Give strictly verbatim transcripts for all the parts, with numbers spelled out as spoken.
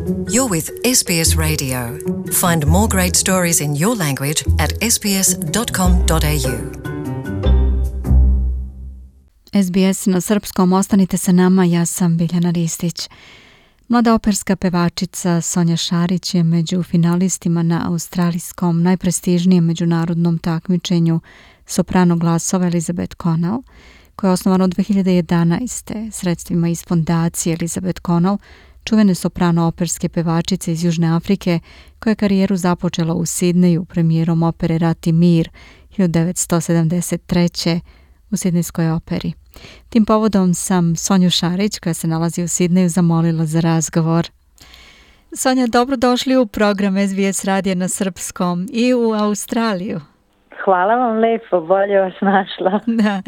You're with S B S Radio. Find more great stories in your language at s b s dot com dot a u. S B S na srpskom, ostanite sa nama, ja sam Biljana Ristić. Mlada operska pevačica Sonja Šarić je među finalistima na australijskom najprestižnijem međunarodnom takmičenju soprano glasova Elizabeth Connell, koje je osnovano dve hiljade jedanaeste. sredstvima iz fondacije Elizabeth Connell, čuvene soprano operske pevačice iz Južne Afrike, koja je karijeru započela u Sidneju premijerom opere Rat i mir hiljadu devetsto sedamdeset treće u Sidnejskoj operi. Tim povodom sam Sonju Šarić, koja se nalazi u Sidneju, zamolila za razgovor. Sonja, dobrodošli u program S B S radija na srpskom i u Australiju. Hvala vam lepo, bolje vas našla. Da.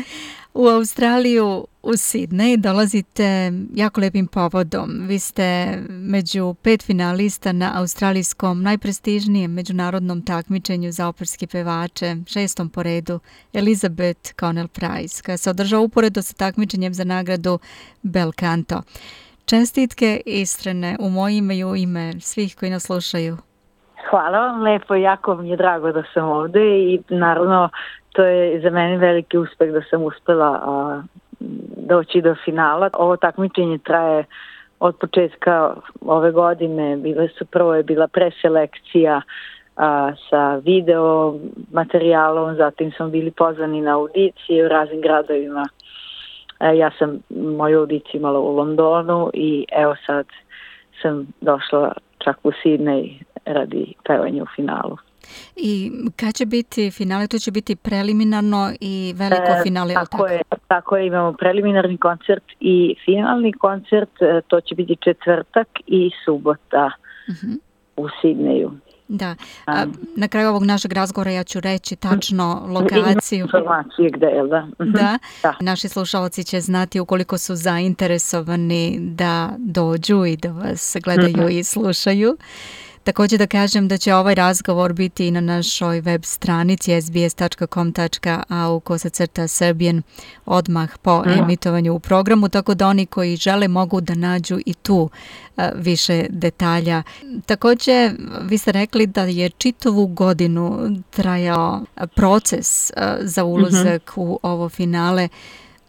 U Australiju, u Sidnej, dolazite jako lepim povodom. Vi ste među pet finalista na australijskom najprestižnijem međunarodnom takmičenju za operske pevače, šestom po redu, Elizabeth Connell Prize, koja se održava uporedo sa takmičenjem za nagradu Bel Canto. Čestitke iskrene u moje ime i u ime svih koji nas slušaju. Hvala vam lepo, jako mi je drago da sam ovde i naravno to je za mene veliki uspeh da sam uspela a, doći do finala. Ovo takmičenje traje od početka ove godine. Bile su, prvo je bila preselekcija a, sa video materijalom, zatim smo bili pozvani na audicije u raznim gradovima. A, ja sam moju audiciju imala u Londonu i evo sad sam došla čak u Sidnej radi pevanja u finalu. I kad će biti finale? To će biti preliminarno i veliko e, finale. Tako, tako je, tako je, imamo preliminarni koncert i finalni koncert, to će biti četvrtak i subota uh-huh. u Sidneju. Da, a, na kraju ovog našeg razgovora ja ću reći tačno lokaciju. Informacije gde je, da. Da, da. Naši slušalci će znati ukoliko su zainteresovani da dođu i da vas gledaju i slušaju. Također da kažem da će ovaj razgovor biti i na našoj web stranici s b s dot com dot a u kosacrta Serbian odmah po emitovanju u programu, tako da oni koji žele mogu da nađu i tu uh, više detalja. Također vi ste rekli da je čitavu godinu trajao proces uh, za ulazak uh-huh. u ovo finale.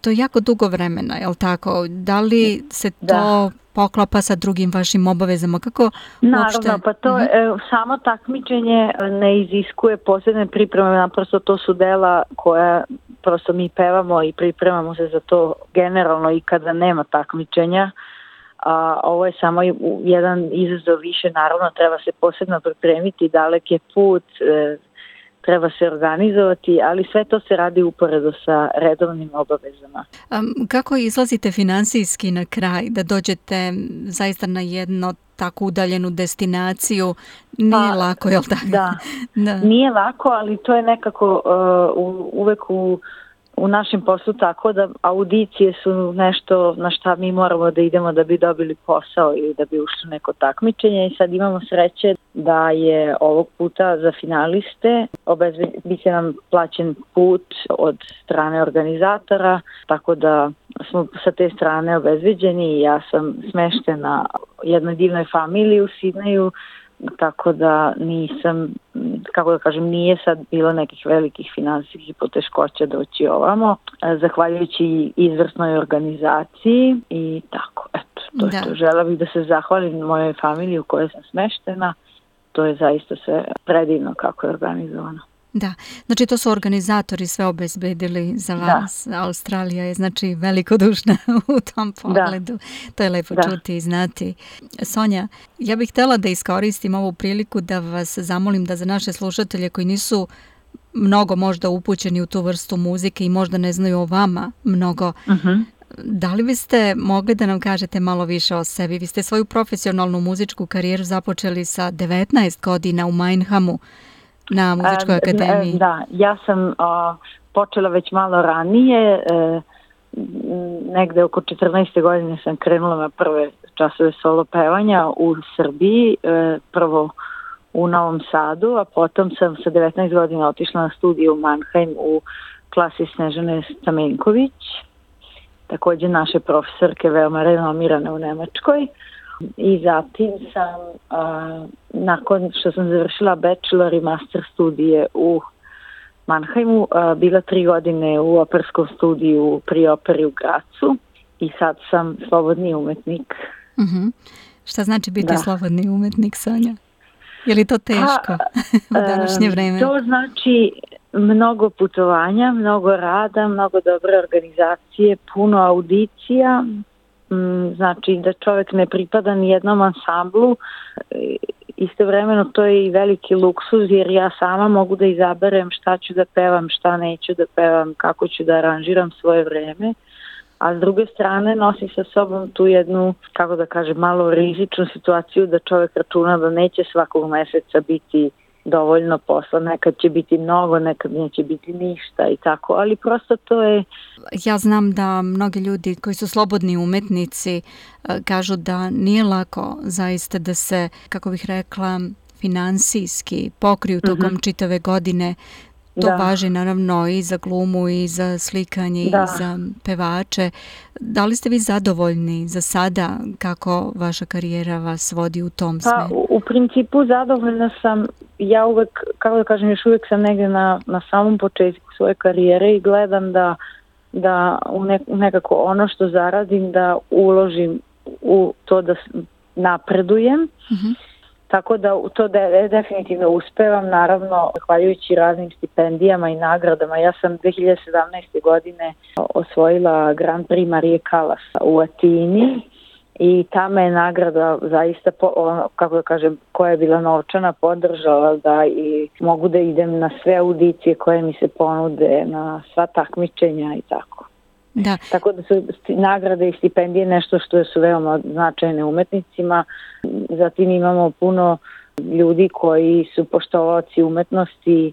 To je jako dugo vremena, je li tako? Da li se to da. poklapa sa drugim vašim obavezama? Kako Naravno, uopšte? pa to uh-huh. samo takmičenje ne iziskuje posebne pripreme, naprosto to su dela koja prosto mi pevamo i pripremamo se za to generalno i kada nema takmičenja. A, ovo je samo jedan izazov više, naravno treba se posebno pripremiti, dalek je put, e, treba se organizovati, ali sve to se radi uporedo sa redovnim obavezama. Um, kako izlazite finansijski na kraj, da dođete zaista na jedno tako udaljenu destinaciju? Nije pa, lako, je li tako? Da. da, nije lako, ali to je nekako uh, uvek u u našem poslu tako da audicije su nešto na šta mi moramo da idemo da bi dobili posao ili da bi ušli neko takmičenje i sad imamo sreće da je ovog puta za finaliste bit će nam plaćen put od strane organizatora, tako da smo sa te strane obezbeđeni i ja sam smeštena jednoj divnoj familiji u Sidneju, tako da nisam, kako da kažem, nije sad bilo nekih velikih finansijskih poteškoća doći ovamo, zahvaljujući izvrsnoj organizaciji i tako, eto, to je to. Žela bih da se zahvalim mojoj familiji u kojoj sam smeštena, to je zaista sve predivno kako je organizovano. Da, znači to su organizatori sve obezbedili za vas. Da. Australija je znači velikodušna u tom pogledu. Da. To je lepo da. čuti i znati. Sonja, ja bih htjela da iskoristim ovu priliku da vas zamolim da za naše slušatelje koji nisu mnogo možda upućeni u tu vrstu muzike i možda ne znaju o vama mnogo, uh-huh. da li biste mogli da nam kažete malo više o sebi? Vi ste svoju profesionalnu muzičku karijeru započeli sa devetnaest godina u Minehamu na muzičkoj akademiji. Da, ja sam uh, počela već malo ranije, uh, negde oko četrnaeste godine sam krenula na prve časove solo pevanja u Srbiji, uh, prvo u Novom Sadu, a potom sam sa devetnaest godina otišla na studiju u Mannheim u klasi Snežane Stamenković, također naše profesorke veoma renomirane u Nemačkoj. I zatim sam, a, nakon što sam završila bachelor i master studije u Mannheimu, a, bila tri godine u operskom studiju pri operi u Gracu i sad sam slobodni umetnik. Uh-huh. Šta znači biti da. slobodni umetnik, Sonja? Je li to teško pa, u današnje vreme? To znači mnogo putovanja, mnogo rada, mnogo dobre organizacije, puno audicija. Znači da čovjek ne pripada ni jednom ansamblu. Istovremeno to je i veliki luksuz jer ja sama mogu da izaberem šta ću da pevam, šta neću da pevam, kako ću da aranžiram svoje vreme. A s druge strane nosi sa sobom tu jednu, kako da kažem, malo rizičnu situaciju da čovjek računa da neće svakog meseca biti dovoljno posla, nekad će biti mnogo, nekad neće biti ništa i tako, ali prosto to je... Ja znam da mnogi ljudi koji su slobodni umetnici kažu da nije lako zaista da se, kako bih rekla, finansijski pokriju tokom mm-hmm. čitave godine. To da. Važi naravno i za glumu i za slikanje da. I za pevače. Da li ste vi zadovoljni za sada kako vaša karijera vas vodi u tom pa, smeru? U, u principu zadovoljna sam. Ja uvek, kako da kažem, još uvijek sam negdje na, na samom početku svoje karijere i gledam da, da u ne, nekako ono što zaradim da uložim u to da napredujem. Mm-hmm. Tako da to de, definitivno uspevam, naravno, zahvaljujući raznim stipendijama i nagradama. Ja sam dve hiljade sedamnaeste. godine osvojila Grand Prix Marije Callas u Atini i tamo je nagrada zaista, po, ono, kako da kažem, koja je bila novčana, podržala da i mogu da idem na sve audicije koje mi se ponude, na sva takmičenja i tako. Da. Tako da su nagrade i stipendije nešto što su veoma značajne umetnicima. Zatim imamo puno ljudi koji su poštovaoci umetnosti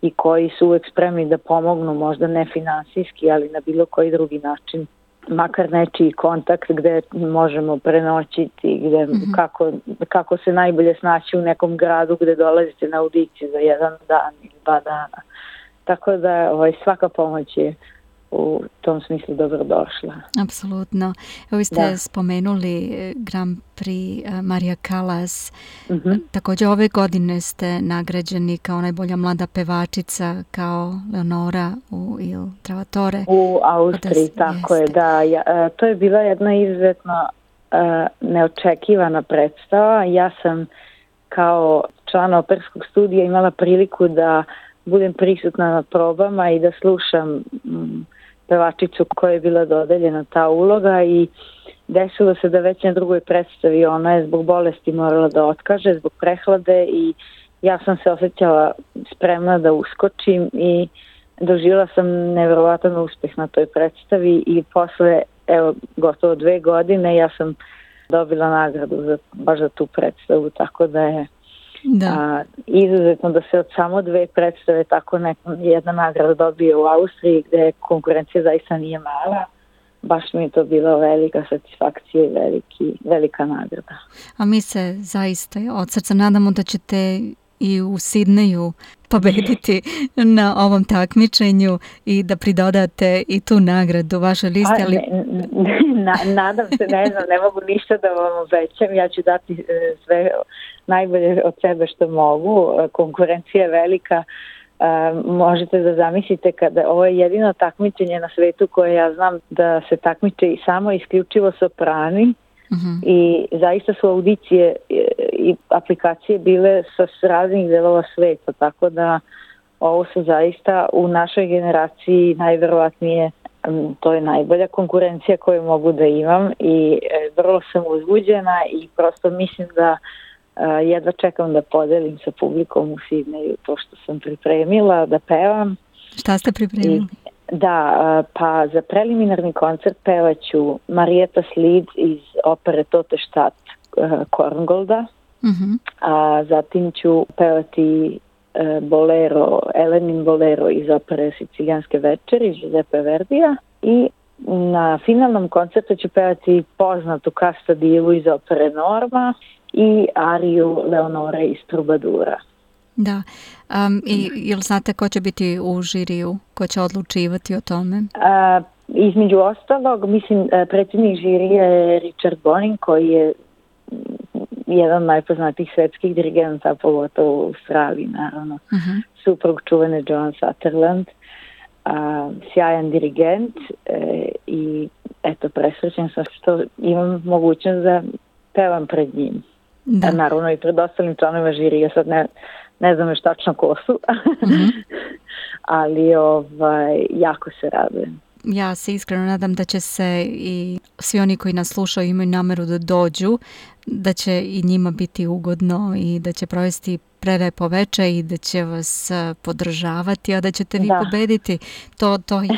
i koji su uvek spremni da pomognu, možda ne finansijski, ali na bilo koji drugi način. Makar nečiji kontakt gde možemo prenoćiti, gde, mm-hmm. kako, kako se najbolje snaći u nekom gradu gde dolazite na audiciju za jedan dan ili dva dana. Tako da ovaj, svaka pomoć je u tom smislu dobrodošla. Apsolutno. Evo vi ste da. spomenuli Grand Prix Marija Callas. Mm-hmm. Također ove godine ste nagrađeni kao najbolja mlada pevačica, kao Leonora u Il Trovatore. U Austriji, tako jeste. je. Da, ja, to je bila jedna izuzetno uh, neočekivana predstava. Ja sam kao član operskog studija imala priliku da budem prisutna na probama i da slušam um, pevačicu koja je bila dodeljena ta uloga i desilo se da već na drugoj predstavi ona je zbog bolesti morala da otkaže, zbog prehlade i ja sam se osjećala spremna da uskočim i doživjela sam nevjerovatan uspjeh na toj predstavi i posle evo gotovo dve godine ja sam dobila nagradu za, baš za tu predstavu, tako da je Da. A, izuzetno da se od samo dve predstave tako neka, jedna nagrada dobije u Austriji gdje konkurencija zaista nije mala. Baš mi je to bila velika satisfakcija i veliki, velika nagrada. A mi se zaista od srca nadamo da ćete i u Sidneju pobediti na ovom takmičenju i da pridodate i tu nagradu vašoj listi. Ali... Ne, ne, na, nadam se, ne znam, ne mogu ništa da vam obećam. Ja ću dati sve najbolje od sebe što mogu. Konkurencija je velika. Uh, možete da zamislite kada ovo je jedino takmičenje na svetu koje ja znam da se takmiče i samo isključivo soprani. Uh-huh. I zaista su audicije i aplikacije bile sa raznih delova sveta, tako da ovo su zaista u našoj generaciji najverovatnije, to je najbolja konkurencija koju mogu da imam i vrlo sam uzbuđena i prosto mislim da jedva čekam da podelim sa publikom u Sidneju to što sam pripremila, da pevam. Šta ste pripremili? I Da, pa za preliminarni koncert pevaću Marietta Slid iz opere Tote Stadt Korngolda, uh-huh. a zatim ću pevati bolero, Elenin bolero iz opere Sicilijanske večeri Giuseppe Verdija i na finalnom koncertu ću pevati poznatu Casta divu iz opere Norma i ariju Leonore iz Trubadura. Da. Um, i jel znate ko će biti u žiriju, ko će odlučivati o tome? A, između ostalog, mislim, predsjednik žirije je Richard Bonin, koji je jedan od najpoznatijih svetskih dirigenta, pogotovo u Australiji, naravno. Uh-huh. Suprug čuvene Joan Sutherland, a, sjajan dirigent e, i eto, presrećen sam što imam mogućnost da pevam pred njim. Da. A naravno i pred ostalim članovima žirija, sad ne, ne znam još tačno ko su, mm-hmm. ali ovaj, jako se radujem. Ja se iskreno nadam da će se i svi oni koji nas slušaju imaju nameru da dođu, da će i njima biti ugodno i da će provesti prelepo veče i da će vas podržavati, a da ćete vi da. pobediti. To, to je.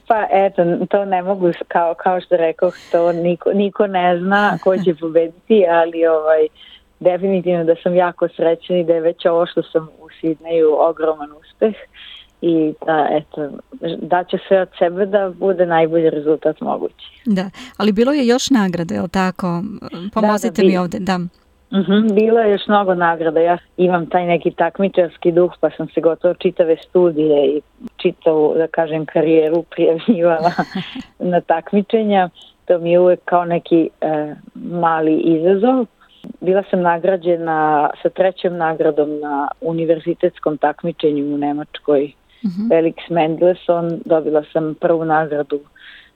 Pa eto, to ne mogu, kao, kao što rekao, to niko, niko ne zna ko će pobediti, ali ovaj, definitivno da sam jako srećna i da je već ovo što sam u Sidneju ogroman uspeh. I da, eto, da će sve od sebe da bude najbolji rezultat mogući. Da, ali bilo je još nagrade, je li tako? Pomozite da, da, mi ovde, da. Uh-huh, bilo je još mnogo nagrada. Ja imam taj neki takmičarski duh, pa sam se gotovo čitave studije i čitavu, da kažem, karijeru prijavljivala na takmičenja. To mi je uvek kao neki e, mali izazov. Bila sam nagrađena sa trećom nagradom na univerzitetskom takmičenju u Nemačkoj. Uh-huh. Felix Mendelssohn, dobila sam prvu nagradu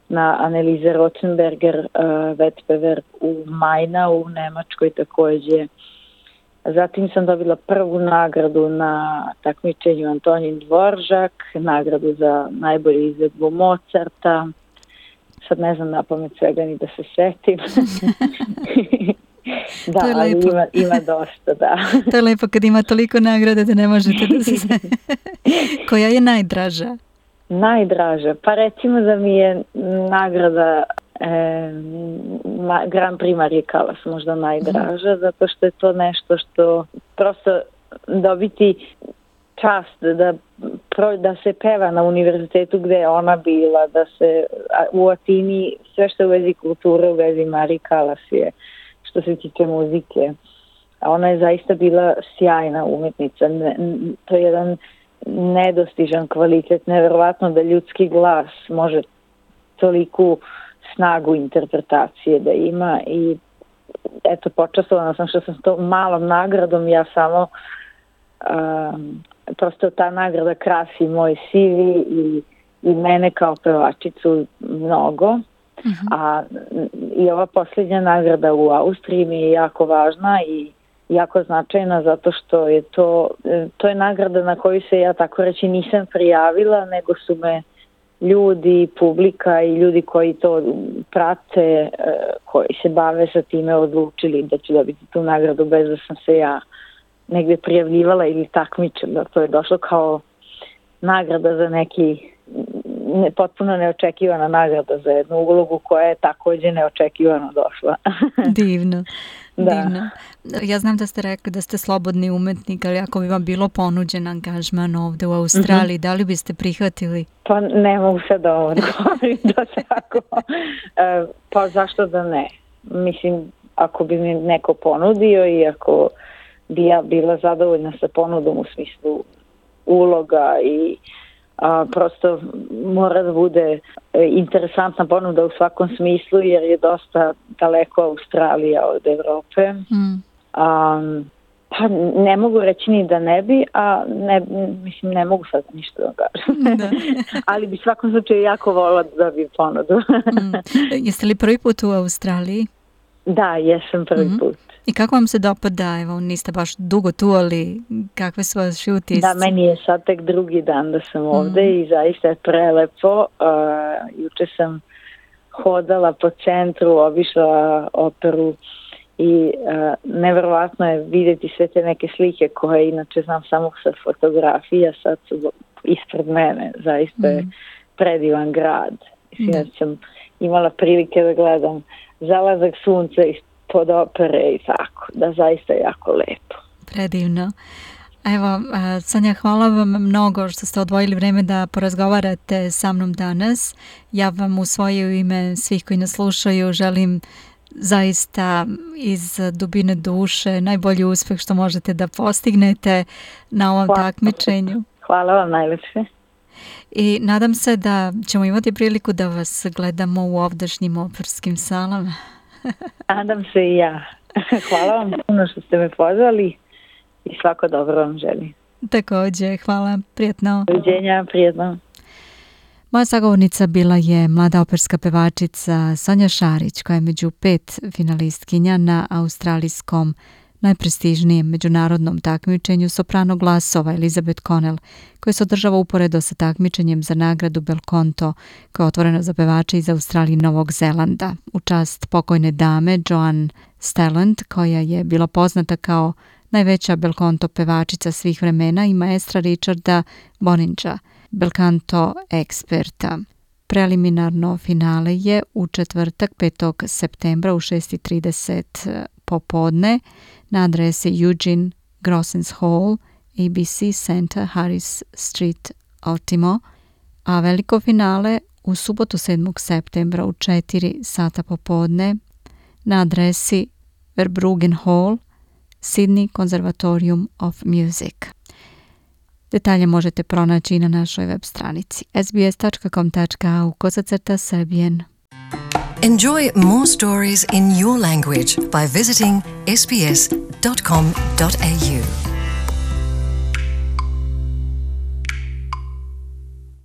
na Anneliese Rothenberger uh, Wettbewerb u Majna u Nemačkoj takođe. Zatim sam dobila prvu nagradu na takmičenju Antonin Dvoržak, nagradu za najbolju izvedbu Mozarta. Sad ne znam napamet svega ni da se setim. Da, to je ali lepo. Ima, ima dosta, da. To je lepo kad ima toliko nagrada da ne možete da se... Koja je najdraža? Najdraža? Pa recimo da mi je nagrada e, ma, Grand Prix Marije Callas možda najdraža, mm. zato što je to nešto što prosto dobiti čast da, da se peva na univerzitetu gde je ona bila, da se u Atini sve što je u vezi kulture, u vezi Marije Callas je što se tiče muzike. A ona je zaista bila sjajna umetnica. Ne, to je jedan nedostižan kvalitet. Neverovatno da ljudski glas može toliku snagu interpretacije da ima i eto, počastovana sam što sam s to malom nagradom, ja samo um, prosto ta nagrada krasi moj C V i, i mene kao pevačicu mnogo. Uh-huh. A i ova posljednja nagrada u Austriji mi je jako važna i jako značajna zato što je to, to je nagrada na koju se ja tako reći nisam prijavila, nego su me ljudi, publika i ljudi koji to prate, koji se bave sa time odlučili da ću dobiti tu nagradu bez da sam se ja negde prijavljivala ili takmičila. To je došlo kao nagrada za neki ne, potpuno neočekivana nagrada za jednu ulogu koja je takođe neočekivano došla. Divno. Da. Divno. Ja znam da ste rekli da ste slobodni umetnik, ali ako bi vam bilo ponuđen angažman ovde u Australiji, mm-hmm. da li biste prihvatili? Pa ne mogu sad da ovo odgovorim da tako. E, pa zašto da ne? Mislim, ako bi mi neko ponudio i ako bi ja bila zadovoljna sa ponudom u smislu uloga i a, prosto mora da bude interesantna ponuda u svakom smislu jer je dosta daleko Australija od Evrope. Mm. A, pa ne mogu reći ni da ne bi, a ne, mislim ne mogu sad ništa da kažem. Da. Ali bi svakom slučaju jako volila da dobijem ponudu. mm. Jeste li prvi put u Australiji? Da, jesam prvi mm-hmm. put. I kako vam se dopada, evo, niste baš dugo tu, ali kakve su vaši utisci? Da, meni je sad tek drugi dan da sam ovde mm. i zaista je prelepo. Uh, juče sam hodala po centru, obišla operu i uh, neverovatno je vidjeti sve te neke slike koje inače znam samo sa fotografija, sad su ispred mene. Zaista je mm. predivan grad. Mislim da sam imala prilike da gledam zalazak sunca iz pod opere i tako, da zaista je jako lepo. Predivno. Evo, Sonja, hvala vam mnogo što ste odvojili vreme da porazgovarate sa mnom danas. Ja vam u svoje ime svih koji nas slušaju želim zaista iz dubine duše najbolji uspeh što možete da postignete na ovom hvala. takmičenju. Hvala vam najlepše. I nadam se da ćemo imati priliku da vas gledamo u ovdašnjim operskim salama. Nadam se i ja. Hvala vam puno što ste me pozvali i svako dobro vam želim. Također, hvala, prijetno. Doviđenja, prijetno. Moja sagovornica bila je mlada operska pevačica Sonja Šarić, koja je među pet finalistkinja na australijskom najprestižnijem međunarodnom takmičenju soprano glasova Elizabeth Connell, koje se održava uporedo sa takmičenjem za nagradu Belcanto, koja je otvorena za pevače iz Australije i Novog Zelanda, u čast pokojne dame Joan Stelland, koja je bila poznata kao najveća Belcanto pevačica svih vremena, i maestra Richarda Boninga, Belcanto eksperta. Preliminarno finale je u četvrtak petog septembra u šest i trideset popodne na adresi Eugene Grossens Hall, A B C Center, Harris Street, Ultimo, a veliko finale u subotu sedmog septembra u četiri sata popodne na adresi Verbruggen Hall, Sydney Conservatorium of Music. Detalje možete pronaći na našoj web stranici s b s dot com dot a u kosacrta Serbian. Enjoy more stories in your language by visiting s b s dot com dot a u.